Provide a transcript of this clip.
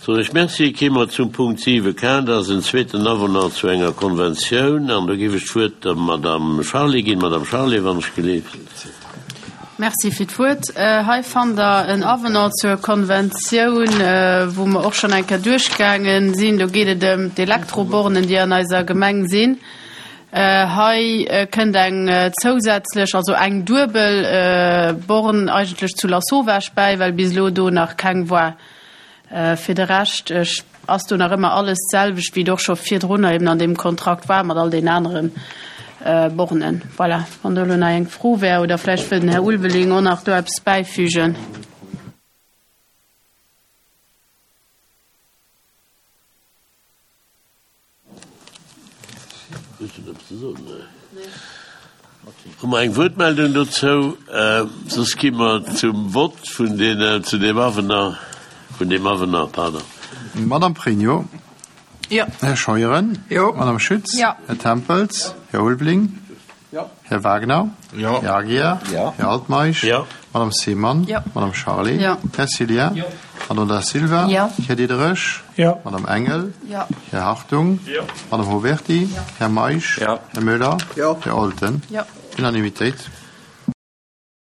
Soen ech Merci. Kéime mer zum Punkt 7 K, dat ass en zweeten Avenant zu enger Konventioun. An do géif ech d'Wuert der Madame Charlé ginn. Madame Charlé, wann ech gelift. Merci fir d'Wuert. Hei fannt Der en Avenant zur Konventioun, wou mer och schonn eng Kéier duerchgaange sinn. Do geet et ëm d'Elektrobornen, déi an eiser Gemeng sinn. Hei kënnt eng zousätzlech, also eng duebel Born eigentlech zu Lasauvage bäi, well bis elo do nach keng war. Fir de Rescht ass do nach ëmmer alles d'selwecht, wéi et och scho virdrunner eben an deem Kontrakt war mat all den anere Bornen. Voilà, wann do elo nach eng Fro wär oder vläicht wëll den Här Ulveling och nach do eppes bäifügen. Hu mer eng Wuertmeldung dozou? Soss gi mer zum Vott vun deene, zu deem Avenant, vun deem Avenant, pardon. Madamm Pregno. Jo. Här Scheuren. Jo. Madamm Schütz. Jo. Här Tempels. Här Ulveling. Jo. Här Wagner. Jo. Här Aguiar. Jo. Här Altmeisch. Jo. Madame Seemann. Jo. Madame Charlé. Jo. Här Cillien. Jo. Madame Da Silva. Jo. Här Diderich. Jo. Madame Engel. Jo. Här Hartung. Jo. Madame Houberti. Jo. Här Meisch. Jo. Här Möller. Jo. Här Olten. Jo. Unanimitéit.